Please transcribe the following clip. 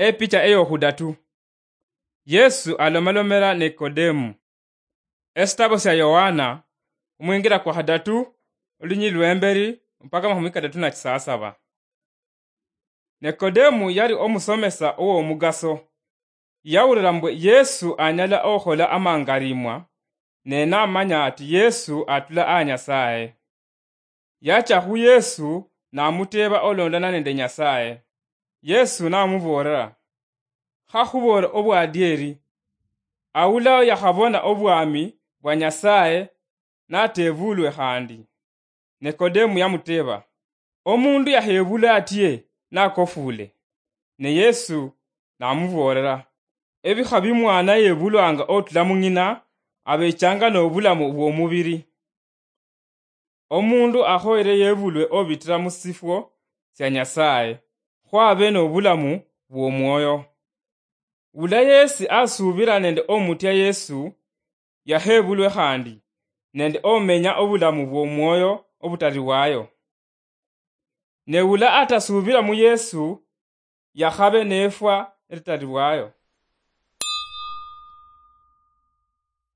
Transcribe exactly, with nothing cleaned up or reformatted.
Epicha eyokhudatu. Yesu alomalomela Nikodemu. Esitabo sia Yohana, omwingira kwa khadatu, olunyili lwemberi mpaka amakhumi kadatu na chisasaba. Nikodemu yali omusomesa owomugaso. Yawulira mbwe Yesu anyala okhola amangarimwa, ne namanya ati Yesu atula a Nyasaye. Yacha khu Yesu namuteeba olondana nende Nyasaye. Yesu namuboolera, "Khakhuboola obwadieri, awulaho yakhabona obwami bwa Nyasaye natebulwe khandi." Nikodemu yamuteeba, "Omundu yakhebula atye nakofule?" Ne Yesu namuboolera, "Ebikha bi mwana yebulwanga otula mung'ina, abechanga nobulamu bwomubiri. Omundu akhoyere yebulwe obitira musifwo sia Nyasaye, khwabe nobulamu bwomwoyo." Wula yesi asubira nende omutya Yesu, yakhebulwe khandi, nende omenya obulamu bwomwoyo obutaliwayo. Ne wula atasubira mu Yesu, yakhabe nefwa elitalibwayo.